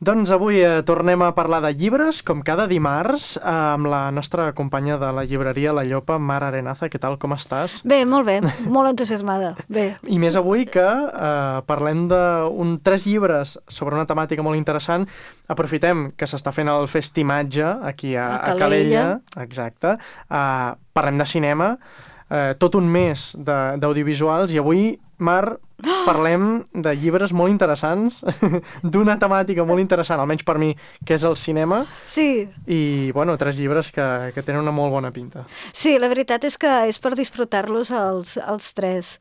Doncs avui tornem a parlar de llibres, com cada dimarts, amb la nostra companya de la llibreria La Llopa, Mar Arenaza. Què tal, com estàs? Bé, molt entusiasmada. Bé. I més avui que parlem tres llibres sobre una temàtica molt interessant. Aprofitem que s'està fent el festimatge aquí a Calella. Exacte. Parlem de cinema, tot un mes d'audiovisuals, i avui, Mar, parlem de llibres molt interessants, d'una temàtica molt interessant, almenys per mi, que és el cinema. Sí. I, bueno, tres llibres que tenen una molt bona pinta. Sí, la veritat és que és per disfrutar-los els tres.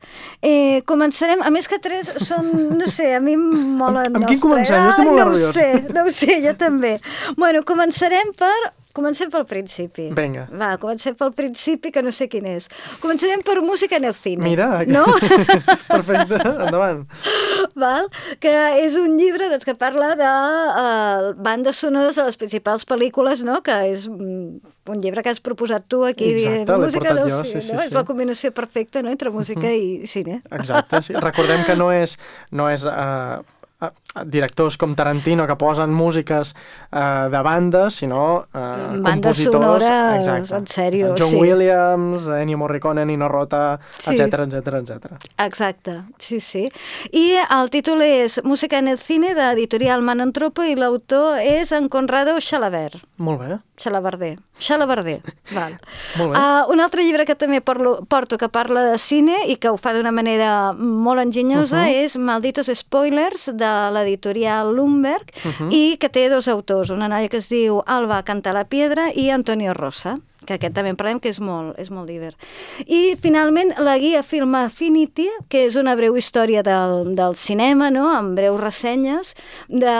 Començarem, a més que tres són, no sé, a mi em molen amb quin comencem? Jo estic molt nerviós. No ho sé, jo també. Bueno, comencem pel principi. Vinga. Va, comencem pel principi, que no sé quin és. Començarem per música en el cine. Mira, no? Perfecte, endavant. Val? Que és un llibre que parla de bandes sonores de les principals pel·lícules, no? Que és un llibre que has proposat tu aquí. Exacte, l'he portat jo, sí, sí. És la combinació perfecta, no?, entre música i cine. Exacte, sí. Recordem que no és directors com Tarantino que posen músiques de bandes, sinó bandes compositors. Sonores, exacte. en sèrio, John sí. Williams, Ennio Morricone, Nino Rota, sí. etcètera. Exacte, sí. I el títol és Música en el cine, d'editorial Manontropo, i l'autor és en Conrado Xalabarder. Molt bé. Xalabarder, val. Molt bé. Un altre llibre que també porto que parla de cine i que ho fa d'una manera molt enginyosa és Malditos Spoilers, de l'editorial Lumberg, i que té dos autors, una noia que es diu Alba Cantalapiedra i Antonio Rosa, que aquest també en parlem, que és molt divert. I, finalment, la guia Film Affinity, que és una breu història del cinema, no?, amb breus ressenyes de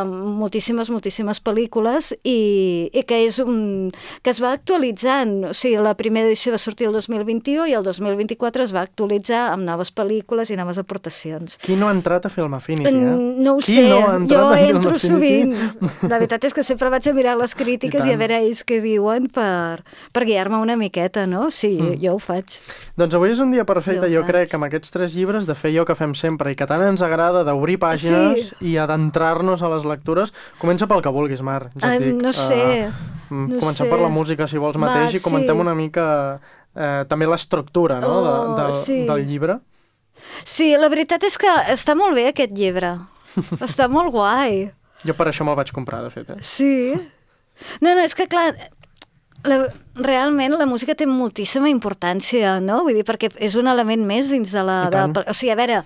moltíssimes pel·lícules, i que es va actualitzant. O sigui, la primera edició va sortir el 2021 i el 2024 es va actualitzar amb noves pel·lícules i noves aportacions. Qui no ha entrat a Film Affinity, No ho sé, jo entro Film sovint. La veritat és que sempre vaig a mirar les crítiques i a veure ells què diuen per guiar-me una miqueta, no? Sí, jo ho faig. Doncs avui és un dia perfecte, jo crec, amb aquests tres llibres, de fer allò que fem sempre i que tant ens agrada, d'obrir pàgines i adentrar-nos a les lectures. Comença pel que vulguis, Mar, ja et dic. No sé. Comencem per la música, si vols, mateix, i comentem una mica també l'estructura, no?, del llibre. Sí, la veritat és que està molt bé aquest llibre. Està molt guai. Jo per això me'l vaig comprar, de fet. Sí. No, és que clar, realment la música té moltíssima importància, no? Vull dir, perquè és un element més dins de la... O sigui, a veure,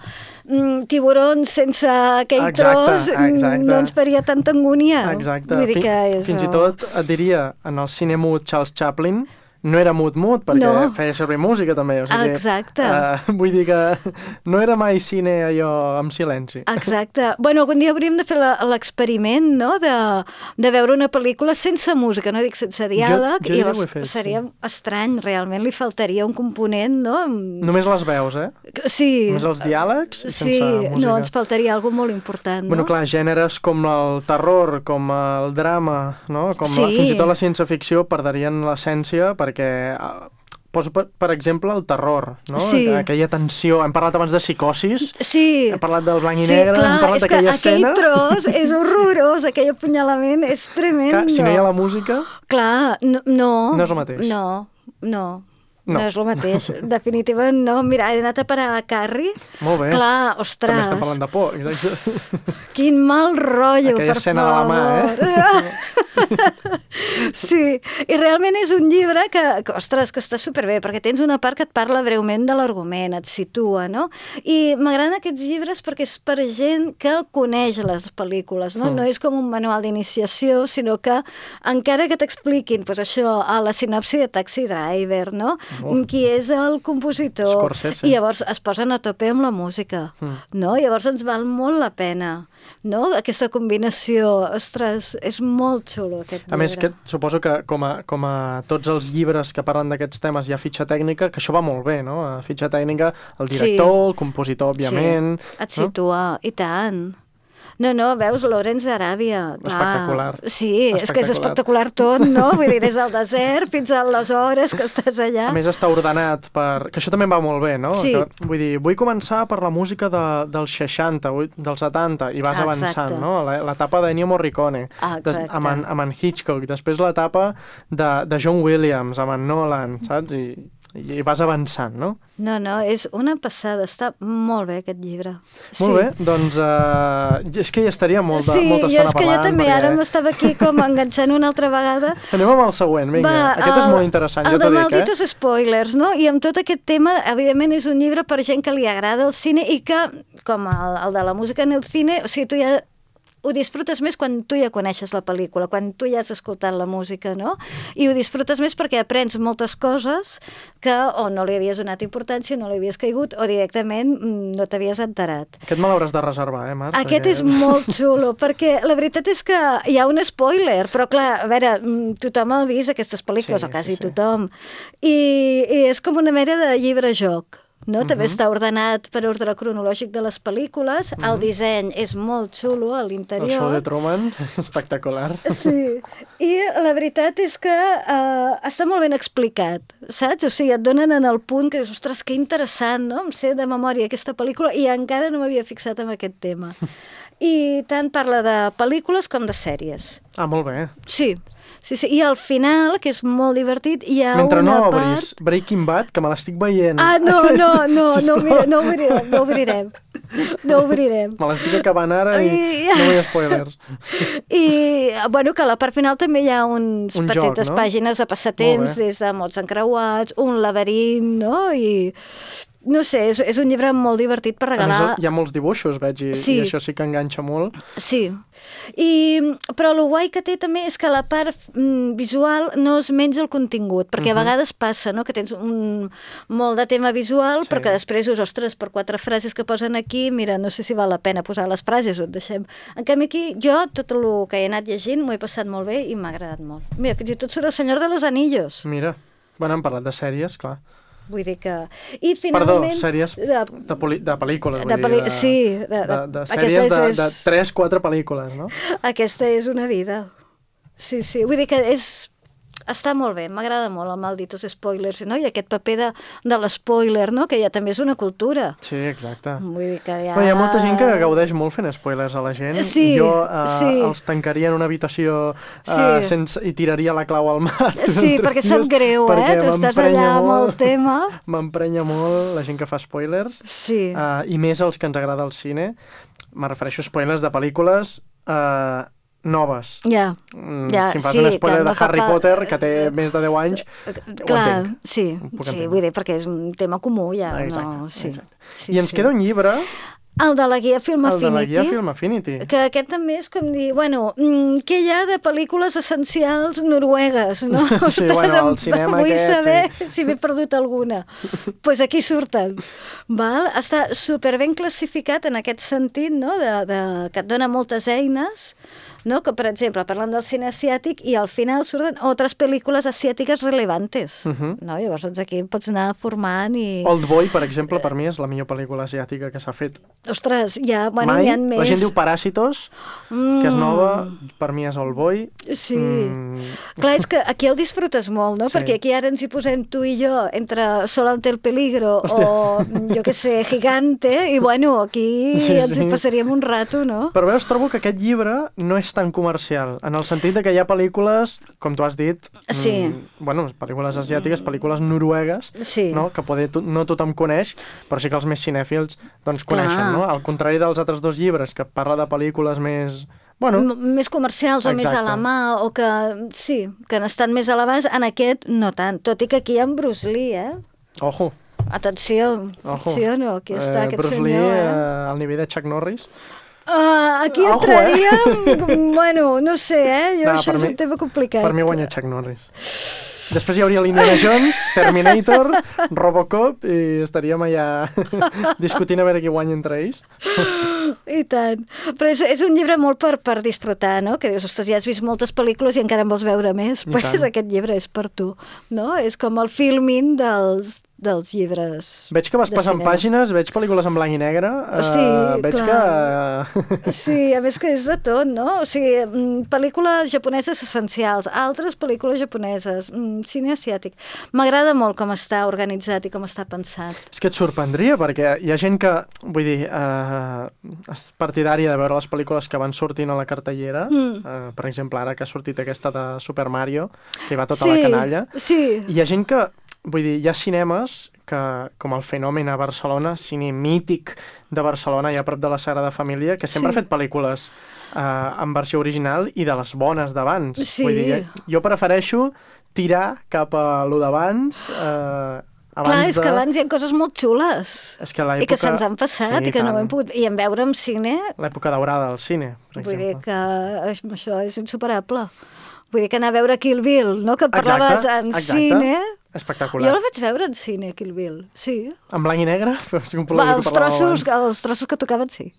Tiburons sense aquell tros no ens faria tanta angúnia. Exacte. Vull dir que és... Fins i tot et diria, en el cine mut Charles Chaplin, no era mut, perquè feia servir música també. O sigui, exacte. Vull dir que no era mai cine allò amb silenci. Exacte. Bueno, algun dia hauríem de fer l'experiment, no?, de veure una pel·lícula sense música, no dic sense diàleg, jo i llavors fet, seria estrany, realment li faltaria un component, no? Només les veus, Sí. Només els diàlegs i sense música. No, ens faltaria alguna molt important, no? Bueno, clar, gèneres com el terror, com el drama, no?, fins i tot la ciència-ficció perderien l'essència, perquè poso, per exemple, el terror, no? Sí. Aquella tensió. Hem parlat abans de psicosis, hem parlat del blanc i negre, clar, hem parlat d'aquella escena. Aquell tros és horrorós, aquell apunyalament és tremendo. Clar, si no hi ha la música... Clar, no. No és el mateix. No és el mateix. Definitivament no. Mira, he anat a parar a Carrie. Molt bé. Clar, ostres. També estem parlant de por, exacte. Quin mal rotllo, aquella escena de la mà, Sí, i realment és un llibre que està superbé, perquè tens una part que et parla breument de l'argument, et situa, no? I m'agraden aquests llibres perquè és per gent que coneix les pel·lícules, no? No és com un manual d'iniciació, sinó que encara que t'expliquin, doncs això, a la sinopsi de Taxi Driver, no? Qui és el compositor. Scorsese. I llavors es posen a tope amb la música, no? Llavors ens val molt la pena, no? Aquesta combinació, ostres, és molt xulo aquest llibre. A més, que suposo que com a tots els llibres que parlen d'aquests temes hi ha fitxa tècnica, que això va molt bé, no? A fitxa tècnica, el director, el compositor, òbviament... Et situa, i tant. No, veus, Lawrence d'Aràbia. Espectacular. Sí, és que és espectacular tot, no? Vull dir, des del desert fins a les hores que estàs allà. A més, està ordenat per... Que això també va molt bé, no? Sí. Que, vull dir, vull començar per la música dels 60, dels 70, i vas avançant, no? L'etapa de Ennio Morricone, amb en Hitchcock, després l'etapa de John Williams, amb en Nolan, saps? I vas avançant, no? No, és una passada, està molt bé aquest llibre. Molt bé, doncs és que hi estaria molta estona parlant. Sí, és que jo també ara m'estava aquí com enganxant una altra vegada. Anem amb el següent, vinga, aquest és molt interessant, jo t'ho dic, El de Malditos Spoilers, no? I amb tot aquest tema, evidentment és un llibre per gent que li agrada el cine i que, com el de la música en el cine, o sigui, tu ja ho disfrutes més quan tu ja coneixes la pel·lícula, quan tu ja has escoltat la música, no? I ho disfrutes més perquè aprens moltes coses que o no li havies donat importància, no li havies caigut, o directament no t'havies enterat. Aquest me l'hauràs de reservar, Marc? Aquest és molt xulo, perquè la veritat és que hi ha un spoiler, però clar, a veure, tothom ha vist aquestes pel·lícules, o quasi tothom, i és com una mena de llibre-joc. No? També està ordenat per ordre cronològic de les pel·lícules, el disseny és molt xulo a l'interior. El show de Truman, espectacular. Sí, i la veritat és que està molt ben explicat, saps? O sigui, et donen en el punt que dius, ostres, que interessant, no? Em sé de memòria aquesta pel·lícula i encara no m'havia fixat en aquest tema. I tant parla de pel·lícules com de sèries. Ah, molt bé. Sí. I al final, que és molt divertit, hi ha Mentre una part... Mentre no obris Breaking Bad, que me l'estic veient. Ah, no obrirem. No obrirem. Me l'estic acabant ara i no vull spoilers. I, bueno, que a la part final també hi ha uns petites joc, no? Pàgines de passatemps, des de mots encreuats, un laberint, no? I... No sé, és un llibre molt divertit per regalar. A més, hi ha molts dibuixos, veig, i això sí que enganxa molt. Sí, però el guai que té també és que la part visual no es menja el contingut, perquè a vegades passa, no?, que tens molt de tema visual, però que després dius, ostres, per 4 frases que posen aquí, mira, no sé si val la pena posar les frases o et deixem. En canvi aquí, jo, tot el que he anat llegint, m'ho he passat molt bé i m'ha agradat molt. Mira, fins i tot surt el Senyor de los Anillos. Mira, bueno, hem parlat de sèries, clar. Vull dir que... I finalment... Perdó, sèries de pel·lícules, sí. De sèries de 3-4 pel·lícules, no? Aquesta és una vida. Sí, vull dir que està molt bé, m'agrada molt el Malditos Spoilers, no? I aquest paper de l'espoiler, no? Que ja també és una cultura. Sí, exacte. Vull dir que hi ha molta gent que gaudeix molt fent spoilers a la gent. Sí, jo els tancaria en una habitació i tiraria la clau al mar. Sí, perquè sap greu, tu estàs allà amb el tema. M'emprenya molt la gent que fa spoilers. Sí. I més els que ens agrada el cine. Me refereixo a spoilers de pel·lícules noves. Si em fas un spoiler de Harry Potter, que té més de 10 anys, ho entenc. Sí, vull dir, perquè és un tema comú ja. Exacte. I ens queda un llibre... El de la guia Film Affinity. El de la guia Film Affinity. Que aquest també és com dir, bueno, què hi ha de pel·lícules essencials noruegues, no? Sí, bueno, el cinema vull aquest... Vull saber si m'he perdut alguna. Doncs aquí surten. Està superben classificat en aquest sentit, no? Que et dona moltes eines, no? Que, per exemple, parlant del cine asiàtic i al final surten altres pel·lícules asiàtiques relevantes. No? Llavors, doncs aquí pots anar formant i... Oldboy, per exemple, per mi és la millor pel·lícula asiàtica que s'ha fet. Ostres, n'hi ha més. La gent diu Parásitos, que és nova, per mi és Oldboy. Sí. Clar, és que aquí el disfrutes molt, no? Sí. Perquè aquí ara ens hi posem tu i jo entre Sol ante el peligro o, jo què sé, Gigante, i bueno, aquí ens hi passaríem un rato, no? Però veus, trobo que aquest llibre no és tan comercial, en el sentit de que hi ha pel·lícules, com tu has dit, pel·lícules asiàtiques, pel·lícules noruegues, no? Que no tothom coneix, però sí que els més cinèfils doncs coneixen, no? Al contrari dels altres dos llibres, que parla de pel·lícules més... més comercials o més a la mà, o que que han estat més a l'abast, en aquest no tant, tot i que aquí hi ha en Bruce Lee, Ojo! Atenció, sí o no? Aquí està aquest Bruce senyor, Lee, al nivell de Chuck Norris. Aquí entraríem, bueno, no sé, això és un tema complicat. Per mi guanya Chuck Norris. Després hi hauria l'Indiana Jones, Terminator, Robocop, i estaríem allà discutint a veure qui guanya entre ells. I tant. Però és un llibre molt per disfrutar, no? Que dius, ostres, ja has vist moltes pel·lícules i encara en vols veure més. Pues aquest llibre és per tu, no? És com el filming dels llibres Veig que vas passant pàgines, veig pel·lícules en blanc i negre, veig clar. que... Sí, a més que és de tot, no? O sigui, pel·lícules japoneses essencials, altres pel·lícules japoneses, cine asiàtic. M'agrada molt com està organitzat i com està pensat. És que et sorprendria, perquè hi ha gent que, vull dir, és partidària de veure les pel·lícules que van sortint a la cartellera, per exemple, ara que ha sortit aquesta de Super Mario, que va tota la canalla. Sí. Hi ha gent que, vull dir, hi ha cinemes que, com el Fenomen a Barcelona, cine mític de Barcelona, allà a prop de la Sagrada Família, que sempre ha fet pel·lícules en versió original i de les bones d'abans. Sí. Vull dir, jo prefereixo tirar cap a lo d'abans, clar, és que abans hi ha coses molt xules i que se'ns han passat i que no ho hem pogut... I en veure en cine... L'època daurada del cine, per exemple. Vull dir que això és insuperable. Vull dir que anar a veure Kill Bill, no? Que parlaves en cine... Espectacular. Jo la vaig veure en cine, Kill Bill, sí. En blanc i negre? Els trossos que tocaven, sí.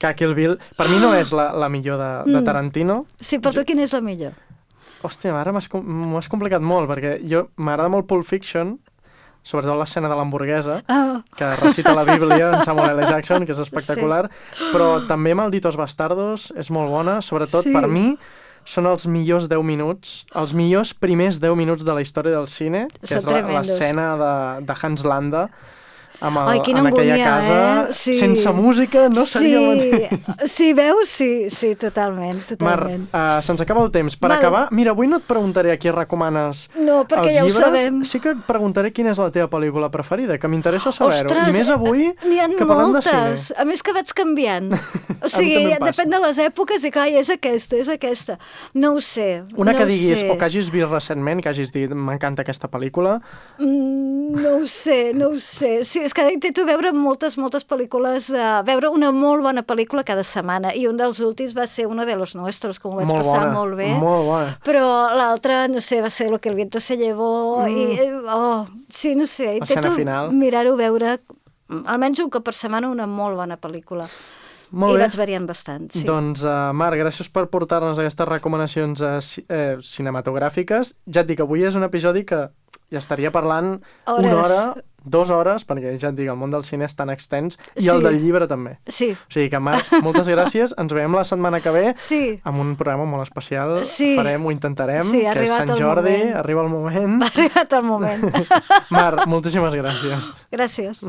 Que Kill Bill, per mi no és la millor de Tarantino. Sí, per tu quina és la millor? Hòstia, ara m'ho has complicat molt, perquè m'agrada molt Pulp Fiction, sobretot l'escena de l'hamburguesa, que recita la Bíblia en Samuel L. Jackson, que és espectacular, però també Malditos Bastardos és molt bona, sobretot per mi són els millors 10 minuts, els millors primers 10 minuts de la història del cine, que és l'escena de Hans Landa, en aquella casa, sense música no seria el mateix. Sí, veus? Sí, totalment. Mar, se'ns acaba el temps. Per acabar, mira, avui no et preguntaré a qui recomanes els llibres. No, perquè ja ho sabem. Sí que et preguntaré quina és la teva pel·lícula preferida, que m'interessa saber-ho. I més avui que parlem de cine. A més que vaig canviant. O sigui, depèn de les èpoques i és aquesta. No ho sé. Una que diguis, o que hagis vist recentment, que hagis dit, m'encanta aquesta pel·lícula. No ho sé. Sí, és que intento veure moltes pel·lícules, veure una molt bona pel·lícula cada setmana, i un dels últims va ser Uno de los Nuestros, que m'ho vaig passar molt bé. Molt bona. Però l'altra, no sé, va ser Lo que el viento se llevó, sí, no sé, intento mirar-ho, veure almenys un cop per setmana una molt bona pel·lícula. Molt bé. I vaig variant bastant, sí. Doncs, Marc, gràcies per portar-nos aquestes recomanacions cinematogràfiques. Ja et dic, avui és un episodi que ja estaria parlant una hora, 2 hores, perquè ja et dic, el món del cine és tan extens, i el del llibre també. Sí. O sigui que, Marc, moltes gràcies. Ens veiem la setmana que ve amb un programa molt especial. Ho intentarem, que és Sant Jordi, arriba el moment. Ha arribat el moment. Marc, moltíssimes gràcies. Gràcies.